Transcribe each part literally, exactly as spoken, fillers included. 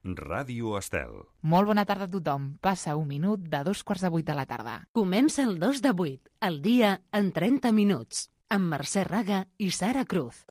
Ràdio Estel. Molt bona tarda a tothom. Passa un minut de dos quarts de vuit de la tarda. Comença el dos de vuit, el dia en trenta minuts, amb Mercè Raga i Sara Cruz.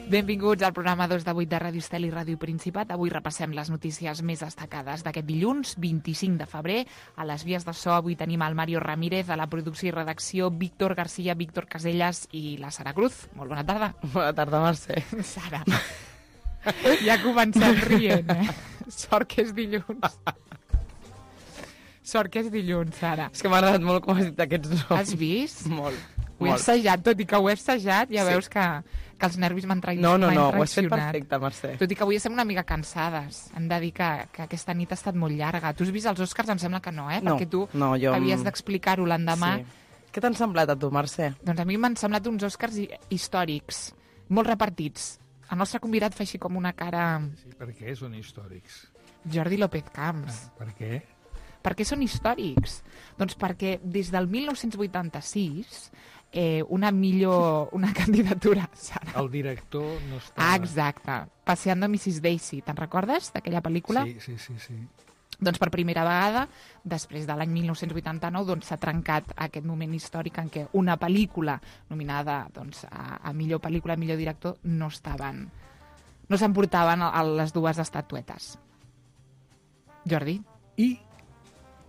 Benvinguts al programa dos de vuit de Ràdio Estel i Ràdio Principat. Avui repassem les notícies més destacades d'aquest dilluns, vint-i-cinc de febrer. A les vies de so avui tenim el Mario Ramírez, a la producció i redacció Víctor García, Víctor Casellas i la Sara Cruz. Molt bona tarda. Bona tarda, Mercè. Sara, ja comencem rient, eh? Sort que és dilluns. Sort que és dilluns, Sara. És que m'ha agradat molt com has dit aquests noms. Has vist? Molt. Ho he assajat, tot i que ho he assajat, ja Sí. veus que, que els nervis m'han traït. No, no, m'han no, ho has fet traicionat. perfecte, Mercè. Tot i que avui estem una mica cansades. Hem de dir que, que aquesta nit ha estat molt llarga. Tu has vist els Oscars? Em sembla que no, eh? No, Perquè tu no, jo- havies d'explicar-ho l'endemà. Sí. Què t'han semblat a tu, Mercè? Doncs a mi m'han semblat uns Oscars hi- històrics, molt repartits. El nostre convidat fa així com una cara... Sí, per què són històrics? Jordi López Camps. Ah, per què? Per què són històrics? Doncs perquè des del mil nou-cents vuitanta-sis eh, una millor... una candidatura, Sara. El director no està... Ah, exacte. Paseando a missus Daisy. Te'n recordes d'aquella pel·lícula? Sí, sí, sí, sí. Doncs per primera vegada, després de l'any mil nou-cents vuitanta-nou, doncs s'ha trencat aquest moment històric en què una pel·lícula nominada doncs, a, a millor pel·lícula, a millor director, no estaven... no s'emportaven a, a les dues estatuetes. Jordi? I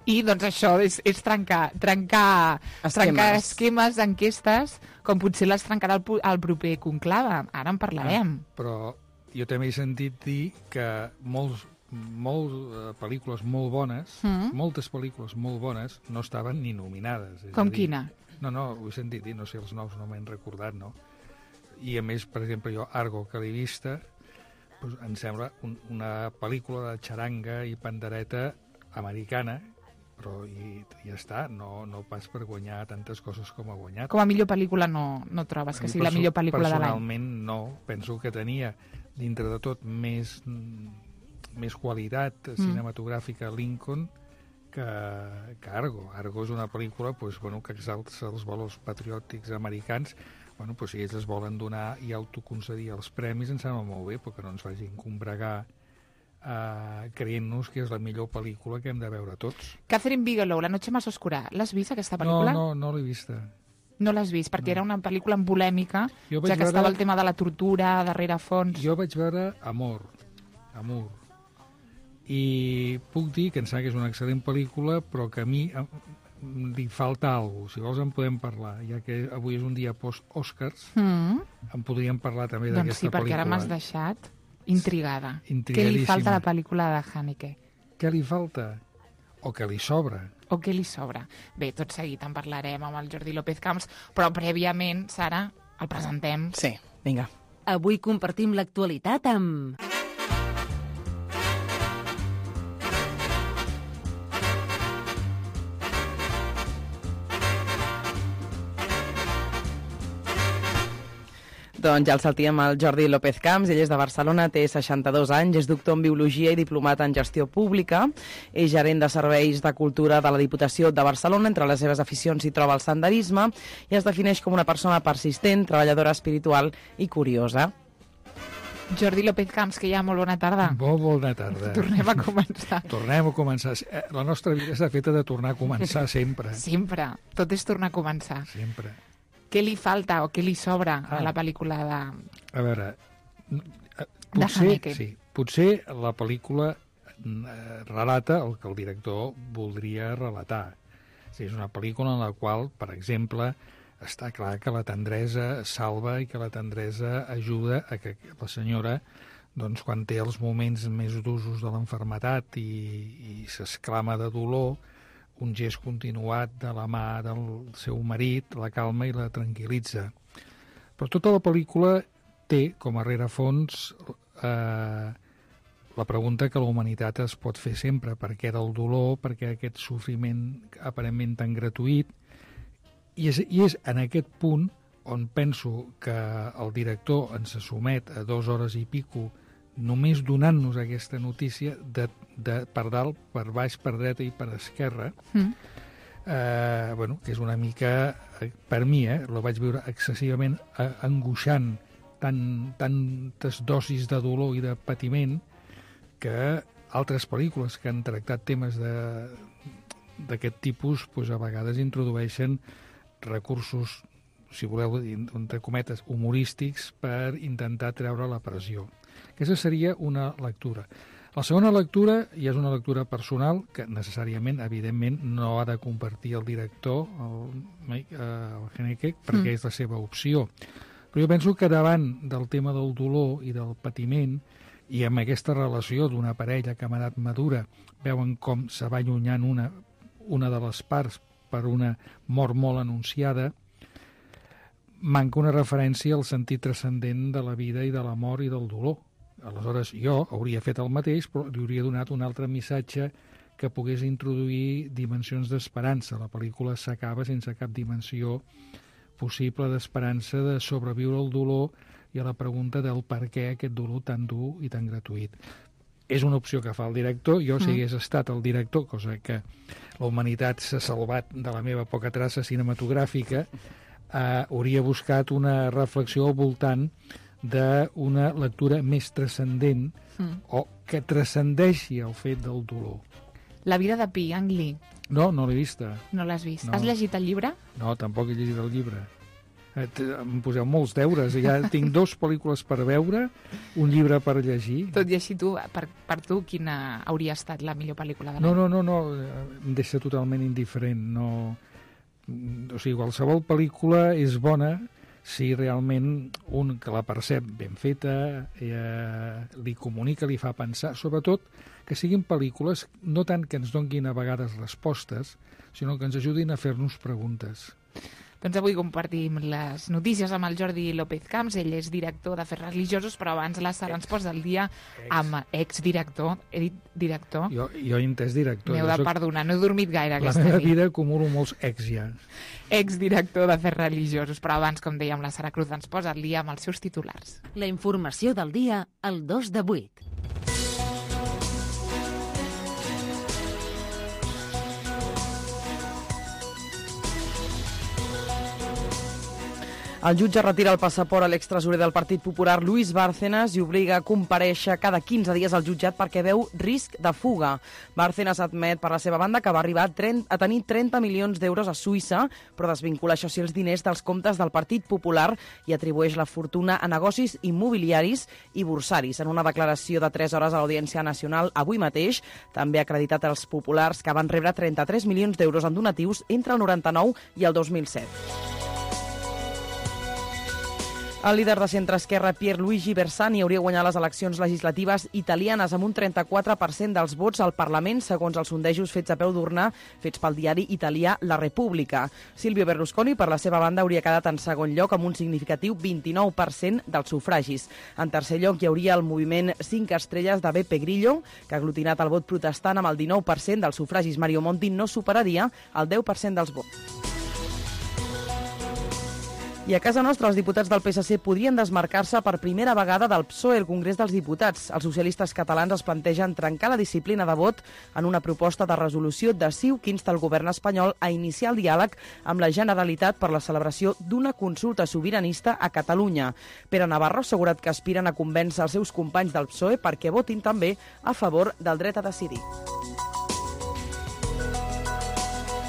I doncs això és, és trencar, trencar, Esquemes. trencar esquemes, enquestes, com potser les trencarà el, pu- el proper conclave. Ara en parlarem. Però jo també he sentit dir que molts, molts uh, pel·lícules molt bones, Mm. moltes pel·lícules molt bones, no estaven ni nominades. És Com a dir, quina? No, no, ho he sentit dir, no sé, els noms no m'he recordat, no? I a més, per exemple, jo, Argo, que l'he vista, doncs, em sembla un, una pel·lícula de xaranga i pandereta americana, però i, ja està, no, no pas per guanyar tantes coses com ha guanyat. Com a millor pel·lícula no, no trobes A que mi sigui la perso- millor pel·lícula de l'any? Personalment no, penso que tenia dintre de tot més, mm, més qualitat Mm. cinematogràfica Lincoln que, que Argo. Argo és una pel·lícula pues, bueno, que exalça els valors patriòtics americans. Bueno, pues, si ells es volen donar i autoconcedir els premis, em sembla molt bé, perquè no ens facin combregar Uh, creient-nos que és la millor pel·lícula que hem de veure tots. Catherine Bigelow, La noche más oscura. L'has vist, aquesta No, pel·lícula? no, no l'he vista. No l'has vist, perquè No. era una pel·lícula amb polèmica, Jo ja vaig que veure- estava el tema de la tortura, darrere fons... Jo vaig veure Amor, Amor, i puc dir que em sembla que és una excel·lent pel·lícula, però que a mi em, li falta alguna cosa. Si vols en podem parlar, ja que avui és un dia post-Oscars, Mm. en podríem parlar també Doncs d'aquesta sí, perquè pel·lícula. ara m'has deixat intrigada. Què li Intrigadíssima. falta a la pel·lícula de Haneke? Què li falta? O què li sobra? O què li sobra? Bé, tot seguit en parlarem amb el Jordi López Camps, però prèviament, Sara, el presentem. Sí, vinga. Avui compartim l'actualitat amb... Doncs ja el saltíem al Jordi López Camps, ell és de Barcelona, té seixanta-dos anys, és doctor en Biologia i diplomat en Gestió Pública, és gerent de Serveis de Cultura de la Diputació de Barcelona, entre les seves aficions s'hi troba el senderisme, i es defineix com una persona persistent, treballadora espiritual i curiosa. Jordi López Camps, que ja molt bona tarda. Molt bona tarda. Tornem a començar. Tornem a començar. Eh, La nostra vida està feta de tornar a començar sempre. Sempre. Tot és tornar a començar. Sempre. Què li falta o què li sobra a Ah. la pel·lícula de... A veure, eh, potser, Haneke. sí, potser la pel·lícula eh, relata el que el director voldria relatar. O sigui, és una pel·lícula en la qual, per exemple, està clar que la tendresa salva i que la tendresa ajuda a que la senyora, doncs, quan té els moments més d'usos de l'enfermetat i, i s'esclama de dolor, un gest continuat de la mà del seu marit la calma i la tranquil·litza. Però tota la pel·lícula té com a rerefons eh, la pregunta que la humanitat es pot fer sempre, per què del dolor, per què aquest sofriment aparentment tan gratuït, i és, i és en aquest punt on penso que el director ens somet a dues hores i pico només donant-nos aquesta notícia de, de per dalt, per baix, per dreta i per esquerra, mm. eh, bueno, que és una mica, per mi, eh, lo vaig veure excessivament angoixant, tan, tantes dosis de dolor i de patiment, que altres pel·lícules que han tractat temes d'aquest tipus pues, a vegades introdueixen recursos, si voleu, entre cometes, humorístics per intentar treure la pressió. Aquesta seria una lectura. La segona lectura, i és una lectura personal, que necessàriament, evidentment, no ha de compartir el director, el, el Haneke, perquè mm. és la seva opció. Però jo penso que davant del tema del dolor i del patiment, i amb aquesta relació d'una parella que ha anat madura, veuen com se va allunyant una, una de les parts per una mort molt anunciada, manca una referència al sentit transcendent de la vida i de la mort i del dolor. Aleshores, jo hauria fet el mateix, però li hauria donat un altre missatge que pogués introduir dimensions d'esperança. La pel·lícula s'acaba sense cap dimensió possible d'esperança de sobreviure al dolor i a la pregunta del per què aquest dolor tan dur i tan gratuït. És una opció que fa el director. Jo, si hagués estat el director, cosa que la humanitat s'ha salvat de la meva poca traça cinematogràfica, eh, hauria buscat una reflexió al voltant d'una lectura més transcendent mm. o que transcendeixi el fet del dolor. La vida de Pi, Ang Lee. No, no l'he vista. No l'has vist. No. Has llegit el llibre? No, tampoc he llegit el llibre. Em poseu molts deures. Ja tinc dos pel·lícules per veure, un llibre per llegir. Tot i així, tu, per, per tu, quina hauria estat la millor pel·lícula de l'any? No, no, no, no, em deixa totalment indiferent. No... O sigui, qualsevol pel·lícula és bona si realment un que la percep ben feta, eh, li comunica, li fa pensar, sobretot que siguin pel·lícules no tant que ens donguin a vegades respostes, sinó que ens ajudin a fer-nos preguntes. Doncs avui compartim les notícies amb el Jordi López Camps. Ell és director d'Afers Religiosos, però abans la Sara ens posa el dia amb exdirector. He dit director? Jo, jo he entès director. M'heu de soc... perdonar, no he dormit gaire aquesta nit. La meva nit. vida acumulo molts ex ja. Exdirector d'Afers Religiosos, però abans, com dèiem, la Sara Cruz ens posa el dia amb els seus titulars. La informació del dia al dos de vuit. El jutge retira el passaport a l'extresorer del Partit Popular Luis Bárcenas i obliga a comparèixer cada quinze dies al jutjat perquè veu risc de fuga. Bárcenas admet per la seva banda que va arribar a tenir trenta milions d'euros a Suïssa, però desvincula això sí els diners dels comptes del Partit Popular i atribueix la fortuna a negocis immobiliaris i borsaris. En una declaració de tres hores a l'Audiència Nacional avui mateix, també ha acreditat els populars que van rebre trenta-tres milions d'euros en donatius entre el noranta-nou i el dos mil set. El líder de centre-esquerra Pierluigi Bersani hauria guanyat les eleccions legislatives italianes amb un trenta-quatre per cent dels vots al Parlament, segons els sondejos fets a peu d'urna fets pel diari italià La Repubblica. Silvio Berlusconi, per la seva banda, hauria quedat en segon lloc amb un significatiu vint-i-nou per cent dels sufragis. En tercer lloc hi hauria el moviment cinc estrelles de Beppe Grillo, que ha aglutinat el vot protestant amb el dinou per cent dels sufragis. Mario Monti no superaria el deu per cent dels vots. I a casa nostra, els diputats del P S C podrien desmarcar-se per primera vegada del P S O E al Congrés dels Diputats. Els socialistes catalans es plantegen trencar la disciplina de vot en una proposta de resolució de C I U que insta el govern espanyol a iniciar el diàleg amb la Generalitat per la celebració d'una consulta sobiranista a Catalunya. Pere Navarro ha assegurat que aspiren a convèncer els seus companys del P S O E perquè votin també a favor del dret a decidir.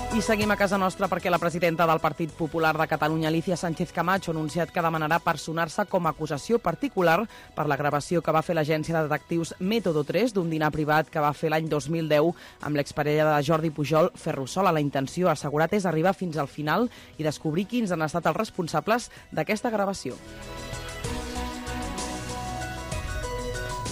I seguim a casa nostra perquè la presidenta del Partit Popular de Catalunya, Alicia Sánchez Camacho, ha anunciat que demanarà personar-se com a acusació particular per la gravació que va fer l'agència de detectius Método tres d'un dinar privat que va fer l'any dos mil deu amb l'exparella de Jordi Pujol, Ferrusola. La intenció, ha assegurat, és arribar fins al final i descobrir quins han estat els responsables d'aquesta gravació.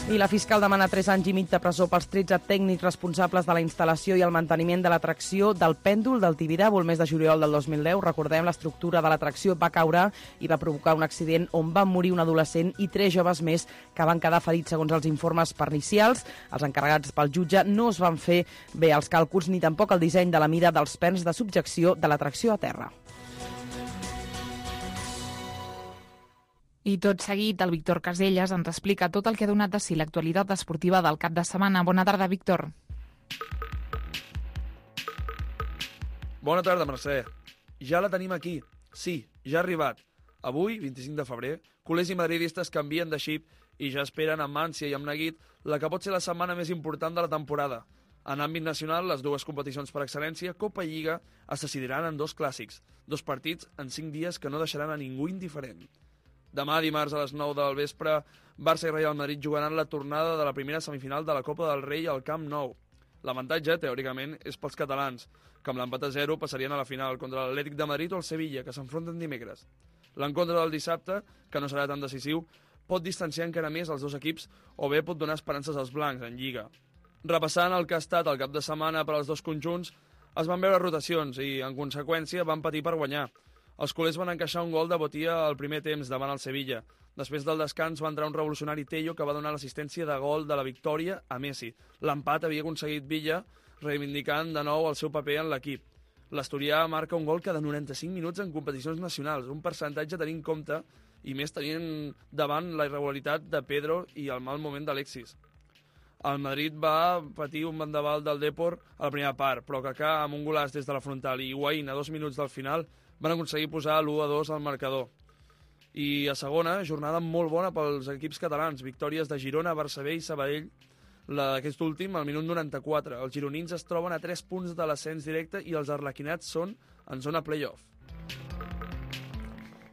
I la fiscal demana tres anys i mig de presó pels tretze tècnics responsables de la instal·lació i el manteniment de l'atracció del pèndol del Tibidabo el mes de juliol del dos mil deu. Recordem, l'estructura de l'atracció va caure i va provocar un accident on van morir un adolescent i tres joves més que van quedar ferits segons els informes pericials. Els encarregats pel jutge no es van fer bé els càlculs ni tampoc el disseny de la mida dels perns de subjecció de l'atracció a terra. I tot seguit, el Víctor Caselles ens explica tot el que ha donat de si l'actualitat esportiva del cap de setmana. Bona tarda, Víctor. Bona tarda, Mercè. Ja la tenim aquí. Sí, ja ha arribat. Avui, vint-i-cinc de febrer, culers i madridistes canvien de xip i ja esperen amb ànsia i amb neguit la que pot ser la setmana més important de la temporada. En àmbit nacional, les dues competicions per excel·lència, Copa i Lliga, es decidiran en dos clàssics, dos partits en cinc dies que no deixaran a ningú indiferent. Demà, dimarts, a les nou del vespre, Barça i Real Madrid jugaran la tornada de la primera semifinal de la Copa del Rei al Camp Nou. L'avantatge, teòricament, és pels catalans, que amb l'empat a zero passarien a la final contra l'Atlètic de Madrid o el Sevilla, que s'enfronten dimecres. L'encontre del dissabte, que no serà tan decisiu, pot distanciar encara més els dos equips o bé pot donar esperances als blancs en Lliga. Repassant el que ha estat el cap de setmana per als dos conjunts, es van veure rotacions i, en conseqüència, van patir per guanyar. Els culers van encaixar un gol de Botia al primer temps davant el Sevilla. Després del descans va entrar un revolucionari Tello que va donar l'assistència de gol de la victòria a Messi. L'empat havia aconseguit Villa, reivindicant de nou el seu paper en l'equip. L'asturià marca un gol cada noranta-cinc minuts en competicions nacionals, un percentatge a tenir en compte i més tenint davant la irregularitat de Pedro i el mal moment d'Alexis. El Madrid va patir un vendaval del Depor a la primera part, però Kaká amb un golàs des de la frontal i Higuaín a dos minuts del final van aconseguir posar l'u a dos al marcador. I a segona, jornada molt bona pels equips catalans, victòries de Girona, Barça B i Sabadell. Aquest últim, al minut noranta-quatre. Els gironins es troben a tres punts de l'ascens directe i els arlequinats són en zona play-off.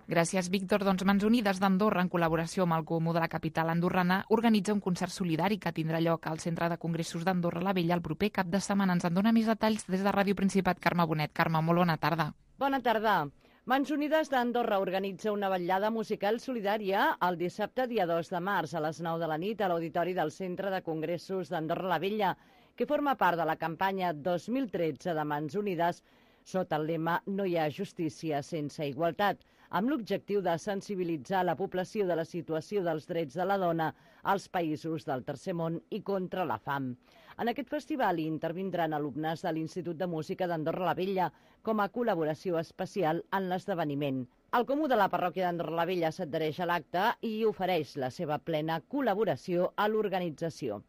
Gràcies, Víctor. Doncs Mans Unides d'Andorra, en col·laboració amb el Comú de la capital andorrana, organitza un concert solidari que tindrà lloc al Centre de Congressos d'Andorra la Vella el proper cap de setmana. Ens en dona més detalls des de Ràdio Principat, Carme Bonet. Carme, molt bona tarda. Bona tarda. Mans Unides d'Andorra organitza una vetllada musical solidària el dissabte, dia dos de març, a les nou de la nit, a l'Auditori del Centre de Congressos d'Andorra la Vella, que forma part de la campanya dos mil tretze de Mans Unides sota el lema No hi ha justícia sense igualtat, amb l'objectiu de sensibilitzar la població de la situació dels drets de la dona als països del tercer món i contra la fam. En aquest festival hi intervindran alumnes de l'Institut de Música d'Andorra la Vella com a col·laboració especial en l'esdeveniment. El Comú de la Parròquia d'Andorra la Vella s'adhereix a l'acte i ofereix la seva plena col·laboració a l'organització.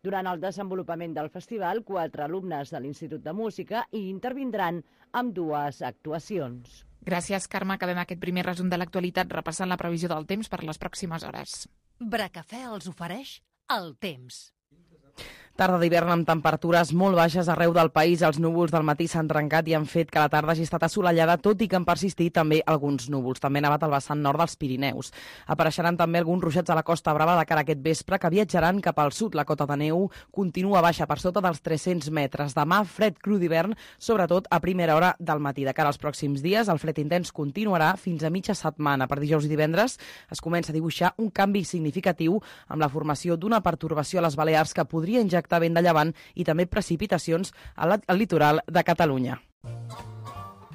Durant el desenvolupament del festival, quatre alumnes de l'Institut de Música hi intervindran amb dues actuacions. Gràcies, Carme. Acabem aquest primer resum de l'actualitat repassant la previsió del temps per les pròximes hores. Bracafè els ofereix el temps. Tarda d'hivern amb temperatures molt baixes arreu del país. Els núvols del matí s'han trencat i han fet que la tarda hagi estat assolellada, tot i que han persistit també alguns núvols. També ha nevat al vessant nord dels Pirineus. Apareixeran també alguns ruixats a la Costa Brava de cara a aquest vespre, que viatjaran cap al sud. La cota de neu continua baixa per sota dels tres-cents metres. Demà, fred cru d'hivern, sobretot a primera hora del matí. De cara als pròxims dies, el fred intens continuarà fins a mitja setmana. Per dijous i divendres es comença a dibuixar un canvi significatiu amb la formació d'una pertorbació a les Balears que podria injectar vent de llevant i també precipitacions al litoral de Catalunya.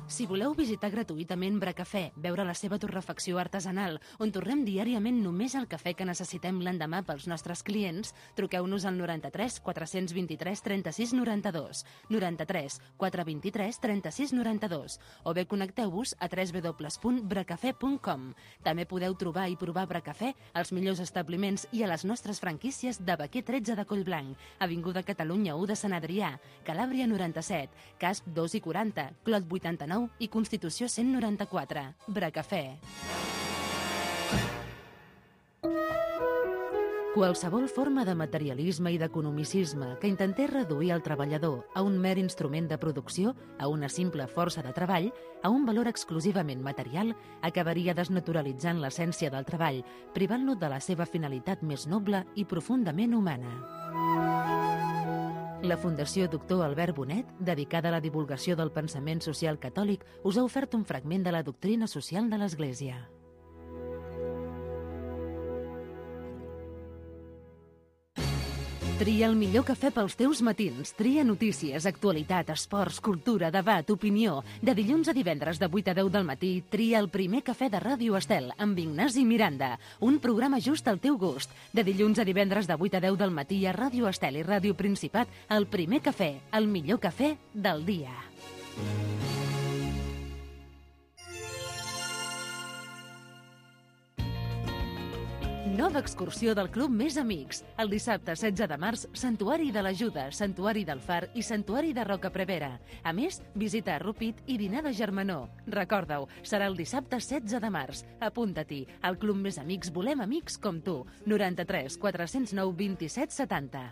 Si voleu visitar gratuïtament Bracafè, veure la seva torrefacció artesanal, on torrem diàriament només el cafè que necessitem l'endemà pels nostres clients, truqueu-nos al noranta-tres quatre-cents vint-i-tres trenta-sis noranta-dos, noranta-tres quatre vint-i-tres trenta-sis noranta-dos, o bé connecteu-vos a w w w punt bracafè punt com. També podeu trobar i provar Bracafè als millors establiments i a les nostres franquícies de Baquer tretze de Collblanc, Avinguda Catalunya u de Sant Adrià, Calàbria noranta-set, Casp dos i quaranta, Clot vuitanta-nou i Constitució cent noranta-quatre. Bracafè. Qualsevol forma de materialisme i d'economicisme que intentés reduir el treballador a un mer instrument de producció, a una simple força de treball, a un valor exclusivament material, acabaria desnaturalitzant l'essència del treball, privant-lo de la seva finalitat més noble i profundament humana. La Fundació Doctor Albert Bonet, dedicada a la divulgació del pensament social catòlic, us ha ofert un fragment de la doctrina social de l'Església. Tria el millor cafè pels teus matins. Tria notícies, actualitat, esports, cultura, debat, opinió. De dilluns a divendres de vuit a deu del matí, tria el primer cafè de Ràdio Estel amb Ignasi Miranda. Un programa just al teu gust. De dilluns a divendres de vuit a deu del matí a Ràdio Estel i Ràdio Principat, el primer cafè, el millor cafè del dia. Nova excursió del Club Més Amics. El dissabte setze de març, Santuari de l'Ajuda, Santuari del Far i Santuari de Roca Prevera. A més, visita a Rupit i dinar de germanor. Recorda-ho, serà el dissabte setze de març. Apunta-t'hi. Al Club Més Amics volem amics com tu. noranta-tres quatre-cents nou vint-i-set setanta.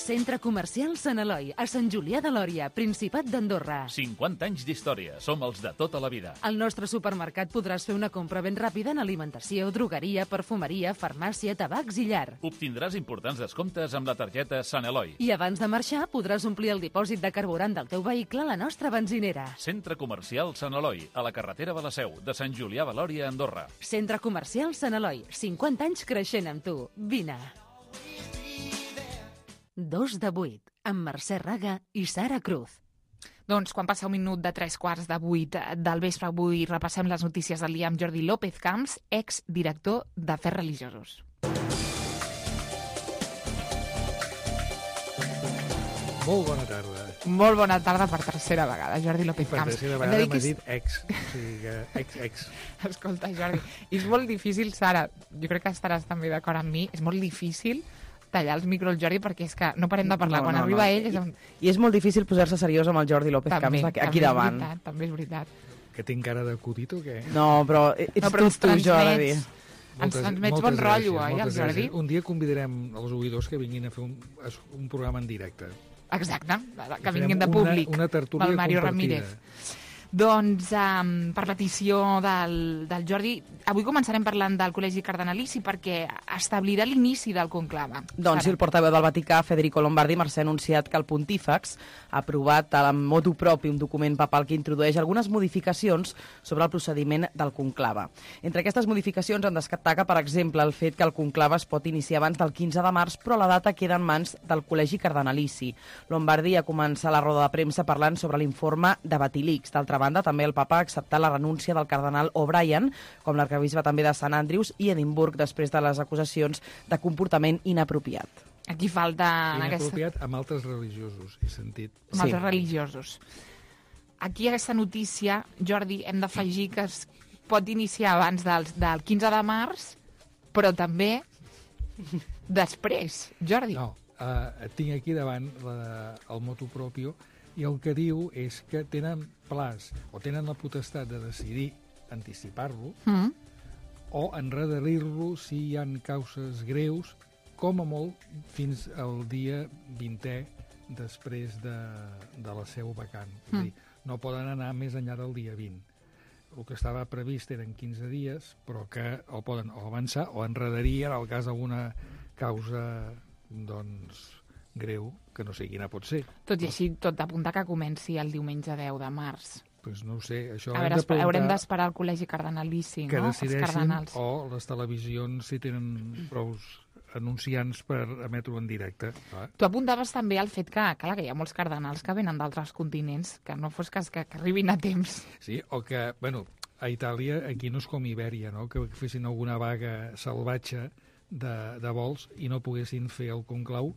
Centre Comercial Sant Eloi, a Sant Julià de Lòria, Principat d'Andorra. cinquanta anys d'història. Som els de tota la vida. Al nostre supermercat podràs fer una compra ben ràpida en alimentació, drogueria, perfumeria, farmàcia, tabacs i llar. Obtindràs importants descomptes amb la targeta Sant Eloi. I abans de marxar podràs omplir el dipòsit de carburant del teu vehicle a la nostra benzinera. Centre Comercial Sant Eloi, a la carretera de la Seu, de Sant Julià de Lòria, Andorra. Centre Comercial Sant Eloi, cinquanta anys creixent amb tu. Vine. Dos de vuit, amb Mercè Raga i Sara Cruz. Doncs quan passa un minut de tres quarts de vuit del vespre, avui repassem les notícies del dia amb Jordi López Camps, exdirector d'Afers Religiosos. Molt bona tarda. Molt bona tarda per tercera vegada, Jordi López Per Camps. tercera Hem vegada de dir m'ha que dit ex. O sigui que ex, ex. Escolta, Jordi, és molt difícil, Sara, jo crec que estaràs també d'acord amb mi, és molt difícil tallar els micros al Jordi perquè és que no parem de parlar. No, Quan no, arriba no. ell... És un... I és molt difícil posar-se seriós amb el Jordi López també, Camps aquí també davant. És veritat, també és veritat. Que tinc cara d'acudit o què? No, però ets No, però ens tu, tu, Jordi. transmets, ens transmets bon moltes rotllo, gràcies, oi, el moltes Jordi? gràcies. Un dia convidarem els oïdors que vinguin a fer un, un programa en directe. Exacte, que Farem vinguin de una- públic. una tertúlia Pel Mario compartida. Ramírez. Doncs, um, per petició del, del Jordi, avui començarem parlant del Col·legi Cardenalici perquè establirà l'inici del conclave. Doncs sí, el portaveu del Vaticà, Federico Lombardi, Mercè, ha anunciat que el pontífex ha aprovat a motu propi un document papal que introdueix algunes modificacions sobre el procediment del conclave. Entre aquestes modificacions en destaca, per exemple, el fet que el conclave es pot iniciar abans del quinze de març, però la data queda en mans del Col·legi Cardenalici. Lombardi ha començat la roda de premsa parlant sobre l'informe de Batilix. D'altra banda, també el papa ha acceptat la renúncia del cardenal O'Brien, com l'arquebisbe també de Sant Andrews i Edimburg, després de les acusacions de comportament inapropiat. Aquí falta... en aquesta... Inapropiat amb altres religiosos, he sentit. amb Sí. altres religiosos. Aquí aquesta notícia, Jordi, hem d'afegir que es pot iniciar abans del, del quinze de març, però també després, Jordi. No, uh, tinc aquí davant la, el motu propio i el que diu és que tenen plaç o tenen la potestat de decidir anticipar-lo Mm. o enrederir-lo si hi han causes greus, com a molt fins al dia vintè després de, de la seu vacant. És a dir, no poden anar més enllà del dia vint. El que estava previst eren quinze dies, però que el poden o avançar o enrederir en el cas d'alguna causa doncs, greu, que no sé quina pot ser. Tot i així, tot apunta que comenci el diumenge deu de març. Pues no ho sé, això A hem veure, de esper- haurem preguntar d'esperar al Col·legi Cardenalici, que no? Els decideixin cardenals. o les televisions si tenen prou anunciants per emetre-ho en directe. Clar. Tu apuntaves també al fet que, clar, que hi ha molts cardenals que venen d'altres continents, que no fos cas que, que arribin a temps. Sí, o que, bueno, a Itàlia, aquí no és com Ibèria, no? Que fessin alguna vaga salvatge de, de vols i no poguessin fer el conclau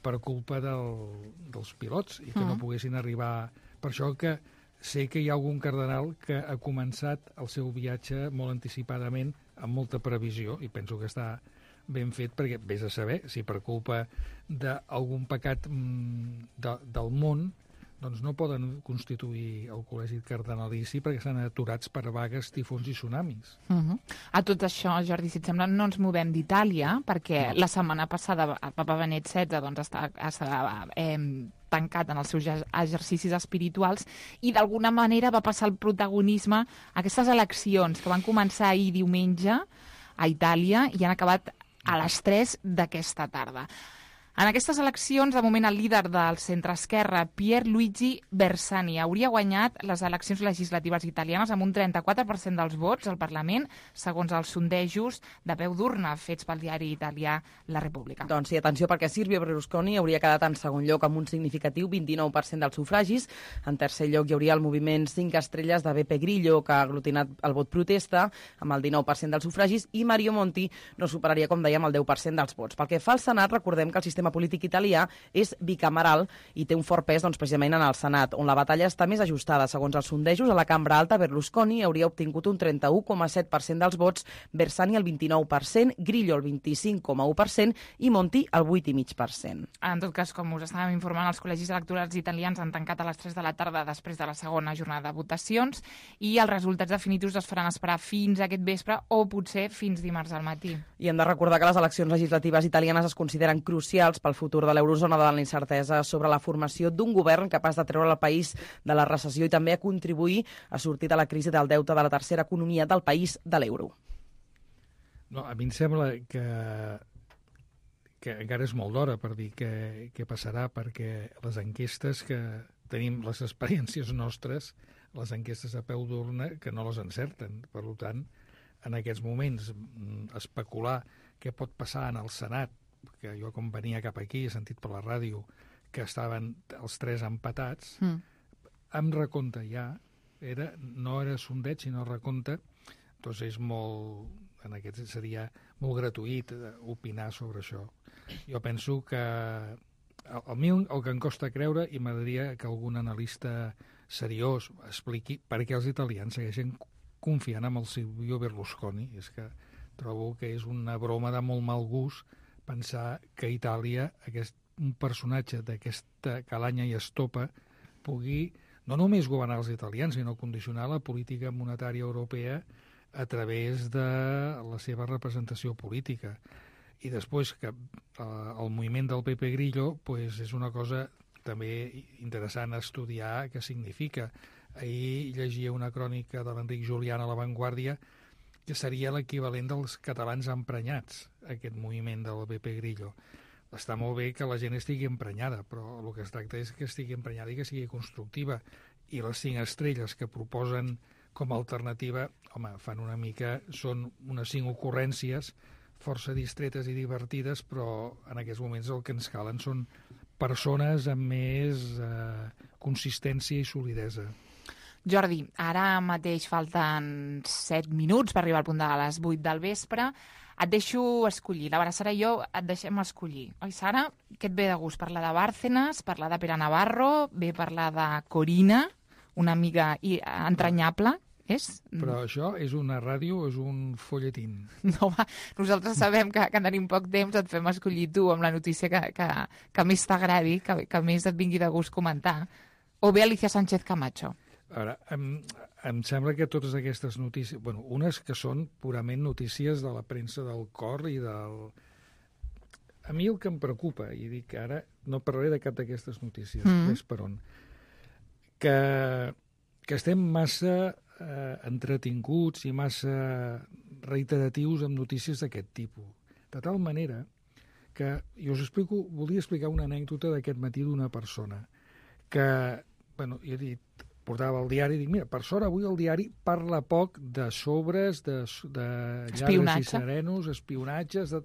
per culpa del, dels pilots i que Mm. no poguessin arribar... Per això que sé que hi ha algun cardenal que ha començat el seu viatge molt anticipadament, amb molta previsió, i penso que està ben fet, perquè vés a saber si per culpa d'algun pecat mm, de, del món doncs no poden constituir el col·legi cardenalici perquè estan aturats per vagues, tifons i tsunamis. Uh -huh. A tot això, Jordi, si et sembla, no ens movem d'Itàlia, perquè No. la setmana passada el papa Benet setze doncs, està, està eh, tancat en els seus exercicis espirituals i d'alguna manera va passar el protagonisme a aquestes eleccions que van començar ahir diumenge a Itàlia i han acabat a les tres d'aquesta tarda. En aquestes eleccions, de moment, el líder del centre-esquerra, Pierluigi Bersani, hauria guanyat les eleccions legislatives italianes amb un trenta-quatre per cent dels vots al Parlament, segons els sondejos de peu d'urna fets pel diari italià La Repubblica. Doncs sí, atenció, perquè Silvio Berlusconi hauria quedat en segon lloc amb un significatiu vint-i-nou per cent dels sufragis. En tercer lloc hi hauria el moviment cinc estrelles de Beppe Grillo, que ha aglutinat el vot protesta, amb el dinou per cent dels sufragis, i Mario Monti no superaria, com dèiem, el deu per cent dels vots. Pel que fa al Senat, recordem que el sistema sistema polític italià és bicameral i té un fort pes doncs, precisament en el Senat, on la batalla està més ajustada. Segons els sondejos, a la cambra alta Berlusconi hauria obtingut un trenta-u coma set per cent dels vots, Bersani el vint-i-nou per cent, Grillo el vint-i-cinc coma u per cent i Monti el vuit coma cinc per cent. En tot cas, com us estàvem informant, els col·legis electorals italians han tancat a les tres de la tarda després de la segona jornada de votacions i els resultats definitius es faran esperar fins aquest vespre o potser fins dimarts al matí. I hem de recordar que les eleccions legislatives italianes es consideren crucials pel futur de l'eurozona davant la incertesa sobre la formació d'un govern capaç de treure el país de la recessió i també a contribuir a sortir de la crisi del deute de la tercera economia del país de l'euro. No, a mi em sembla que que encara és molt d'hora per dir què, què passarà, perquè les enquestes que tenim, les experiències nostres, les enquestes a peu d'urna, que no les encerten. Per tant, en aquests moments, especular què pot passar en el Senat, que jo com venia cap aquí he sentit per la ràdio que estaven els tres empatats, mm. amb recompte ja, era, no era sondeig, sinó recompte, doncs és molt, en aquest seria molt gratuït opinar sobre això. Jo penso que a, a mi el que em costa creure, i m'agradaria que algun analista seriós expliqui per què els italians segueixen confiant en el Silvio Berlusconi. És que trobo que és una broma de molt mal gust pensar que a Itàlia aquest, un personatge d'aquesta calanya i estopa pugui no només governar els italians, sinó condicionar la política monetària europea a través de la seva representació política. I després que eh, el moviment del Pepe Grillo pues, és una cosa també interessant a estudiar què significa. Ahir llegia una crònica de l'Enric Julián a La Vanguardia que seria l'equivalent dels catalans emprenyats, aquest moviment del Pepe Grillo. Està molt bé que la gent estigui emprenyada, però el que es tracta és que estigui emprenyada i que sigui constructiva. I les cinc estrelles que proposen com a alternativa, home, fan una mica, són unes cinc ocurrències força distretes i divertides, però en aquests moments el que ens calen són persones amb més eh, consistència i solidesa. Jordi, ara mateix falten set minuts per arribar al punt de les vuit del vespre. Et deixo escollir. La Sara i jo et deixem escollir. Oi, Sara? Què et ve de gust? Parlar de Bárcenas, parlar de Pere Navarro, ve parlar de Corina, una amiga entranyable, és? Però això és una ràdio o és un folletín? No, va, nosaltres sabem que, que tenim poc temps, et fem escollir tu amb la notícia que, que, que més t'agradi, que, que més et vingui de gust comentar. O bé Alicia Sánchez Camacho. A veure, em, em sembla que totes aquestes notícies... Bueno, unes que són purament notícies de la premsa del cor i del... A mi el que em preocupa, i dic que ara no parlaré de cap d'aquestes notícies, mm. més per on, que, que estem massa eh, entretinguts i massa reiteratius amb notícies d'aquest tipus. De tal manera que, i us explico, volia explicar una anècdota d'aquest matí d'una persona que, bueno, jo he dit, portava el diari i dic, mira, per sort avui el diari parla poc de sobres, de, de llargues i serenos, espionatges... De...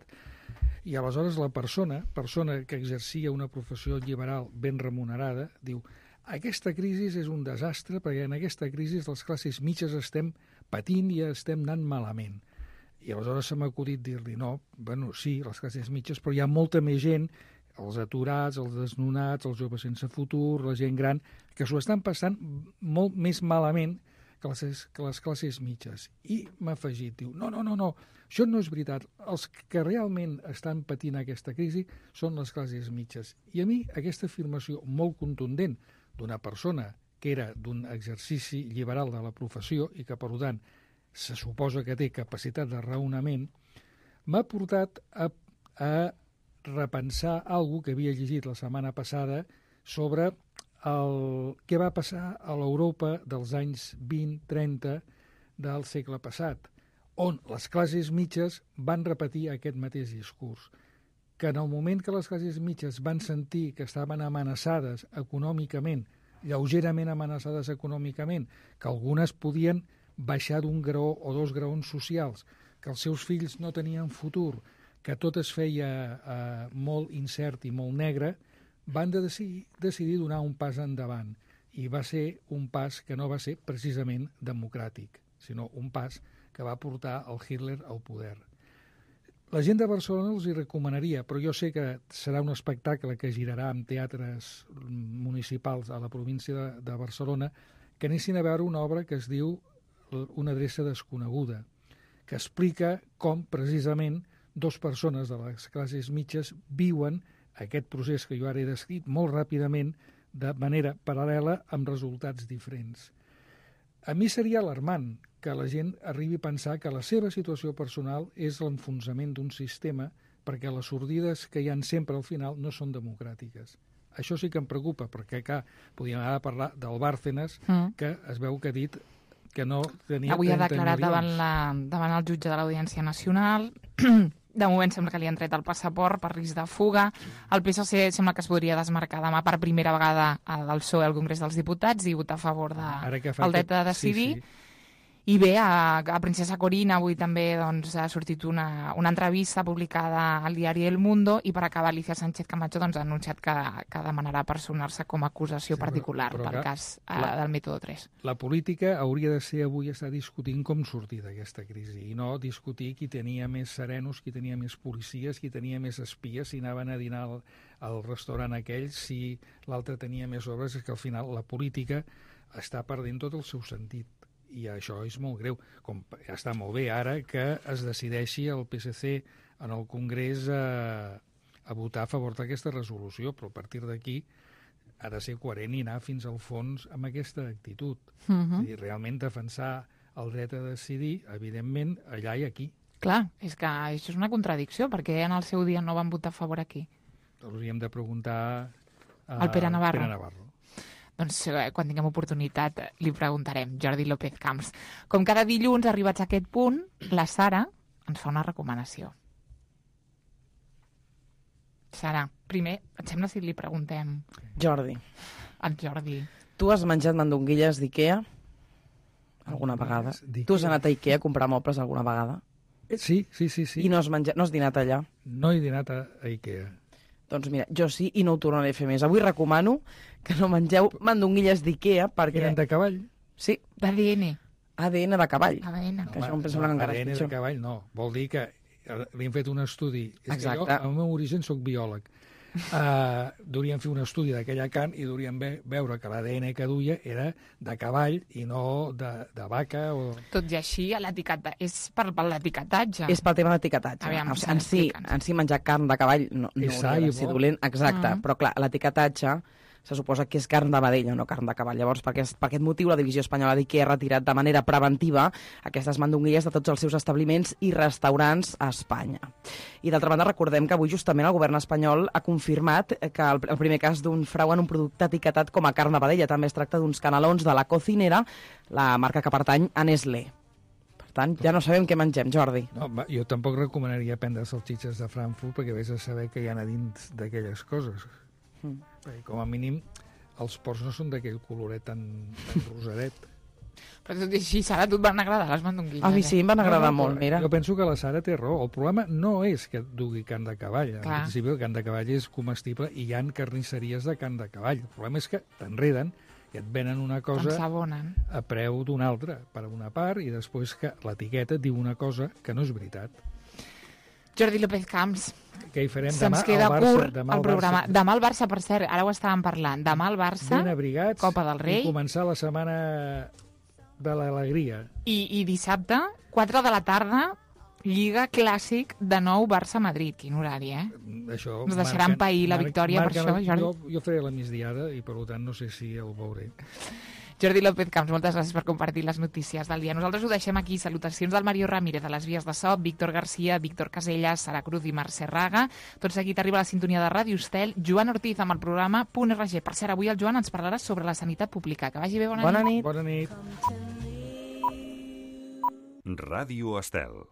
I aleshores la persona, persona que exercia una professió liberal ben remunerada, diu, aquesta crisi és un desastre perquè en aquesta crisi les classes mitges estem patint i estem anant malament. I aleshores se m'ha acudit dir-li, no, bueno, sí, les classes mitges, però hi ha molta més gent, els aturats, els desnonats, els joves sense futur, la gent gran, que s'ho estan passant molt més malament que les, que les classes mitges. I m'ha afegit, diu, no, no, no, no, això no és veritat. Els que realment estan patint aquesta crisi són les classes mitges. I a mi aquesta afirmació molt contundent d'una persona que era d'un exercici liberal de la professió i que, per tant, se suposa que té capacitat de raonament, m'ha portat a, a repensar alguna que havia llegit la setmana passada sobre el què va passar a l'Europa dels anys vint trenta del segle passat, on les classes mitges van repetir aquest mateix discurs, que en el moment que les classes mitges van sentir que estaven amenaçades econòmicament, lleugerament amenaçades econòmicament, que algunes podien baixar d'un graó o dos graons socials, que els seus fills no tenien futur, que tot es feia eh, molt incert i molt negre, van de decidir, decidir donar un pas endavant. I va ser un pas que no va ser precisament democràtic, sinó un pas que va portar el Hitler al poder. La gent de Barcelona els hi recomanaria, però jo sé que serà un espectacle que girarà en teatres municipals a la província de, de Barcelona, que anessin a veure una obra que es diu Una adreça desconeguda, que explica com, precisament, dues persones de les classes mitges viuen aquest procés que jo ara he descrit molt ràpidament, de manera paral·lela, amb resultats diferents. A mi seria alarmant que la gent arribi a pensar que la seva situació personal és l'enfonsament d'un sistema, perquè les sordides que hi ha sempre al final no són democràtiques. Això sí que em preocupa, perquè, clar, podríem ara parlar del Bárcenas, mm. que es veu que ha dit que no tenia avui ha declarat davant, la, davant el jutge de l'Audiència Nacional. De moment sembla que li han tret el passaport per risc de fuga. El P S C sembla que es podria desmarcar demà per primera vegada del P S O E al Congrés dels Diputats i votar a favor del de, dret a decidir. Sí, sí. I bé, a, a Princesa Corina avui també doncs, ha sortit una, una entrevista publicada al diari El Mundo, i per acabar Alicia Sánchez Camacho doncs, ha anunciat que, que demanarà personar-se com a acusació sí, particular però, però, pel cas la, del mètode tres. La política hauria de ser avui estar discutint com sortir d'aquesta crisi i no discutir qui tenia més serenos, qui tenia més policies, qui tenia més espies, si anaven a dinar al, al restaurant aquell, si l'altre tenia més obres. És que al final la política està perdent tot el seu sentit. I això és molt greu. Com està molt bé ara que es decideixi el P S C en el Congrés a, a votar a favor d'aquesta resolució, però a partir d'aquí ha de ser coherent i anar fins al fons amb aquesta actitud. Uh-huh. És a dir, realment defensar el dret a decidir, evidentment, allà i aquí. Clar, és que això és una contradicció, perquè en el seu dia no van votar a favor aquí. Hauríem de preguntar a el Pere Navarro. Pere Navarro. Doncs quan tinguem oportunitat li preguntarem. Jordi López Camps. Com cada dilluns, arribats a aquest punt, la Sara ens fa una recomanació. Sara, primer, et sembla si li preguntem... Jordi. Al Jordi. Tu has menjat mandonguilles d'Ikea alguna vegada? Tu has anat a Ikea a comprar mobles alguna vegada? Sí, sí, sí. sí. I no has, menjat, no has dinat allà? No he dinat a, a Ikea. Doncs mira, jo sí, i no ho tornaré a fer més. Avui recomano que no mengeu mandonguilles d'Ikea, perquè... Eren de cavall? Sí. D'A D N. A D N de cavall. A D N. Que això em penso no, A D N de cavall no. Vol dir que li hem fet un estudi. És Exacte. que jo, al meu origen, soc biòleg. Uh, duríem fer un estudi d'aquella carn i duríem ve veure que l'A D N que duia era de cavall i no de, de vaca o... Tot i així, és per, per l'etiquetatge. És pel tema d'etiquetatge. Aviam, en, si, en si menjar carn de cavall no, no hauria de ser dolent. Exacte, uh -huh. Però clar, l'etiquetatge se suposa que és carn de vedella, no carn de cavall. Llavors, per aquest, per aquest motiu, la divisió espanyola d'Ikea ha retirat de manera preventiva aquestes mandonguilles de tots els seus establiments i restaurants a Espanya. I d'altra banda, recordem que avui justament el govern espanyol ha confirmat que el, el primer cas d'un frau en un producte etiquetat com a carn de vedella. També es tracta d'uns canelons de la Cocinera, la marca que pertany a Nestlé. Per tant, ja no sabem què mengem, Jordi. No, jo tampoc recomanaria prendre salsitxes de Frankfurt perquè vés a saber què hi ha a dins d'aquelles coses. Mm. Perquè, com a mínim, els porcs no són d'aquell coloret tan, tan rosadet. Però tot i així, Sara, a tu et van agradar les mandonguilles? A mi sí, em van agradar no, no, molt, mira. Jo penso que la Sara té raó. El problema no és que dugui carn de cavall. En principi, el carn de cavall és comestible i hi ha carnisseries de carn de cavall. El problema és que t'enreden i et venen una cosa a preu d'una altra, per una part, i després que l'etiqueta diu una cosa que no és veritat. Jordi López Camps. Què hi farem demà? Se'ns queda curt el programa. Demà el Barça, per cert, ara ho estàvem parlant. Demà el Barça, ben abrigats, Copa del Rei. I començar la setmana de l'alegria. I, I dissabte, quatre de la tarda, Lliga Clàssic de nou Barça-Madrid. Quin horari, eh? Això Ens deixaran pair la victòria per això, Jordi? Jo, jo faré la migdiada i, per tant, no sé si el veuré. Jordi López Camps, moltes gràcies per compartir les notícies del dia. Nosaltres ho deixem aquí. Salutacions del Mario Ramírez, a les vies de so, Víctor Garcia, Víctor Casellas, Sara Cruz i Mercè Raga. Tot seguit arriba la sintonia de Ràdio Estel. Joan Ortiz amb el programa Punt R G. Per cert, avui el Joan ens parlarà sobre la sanitat pública. Que vagi bé, bona, bona nit. Bona nit. Ràdio Estel.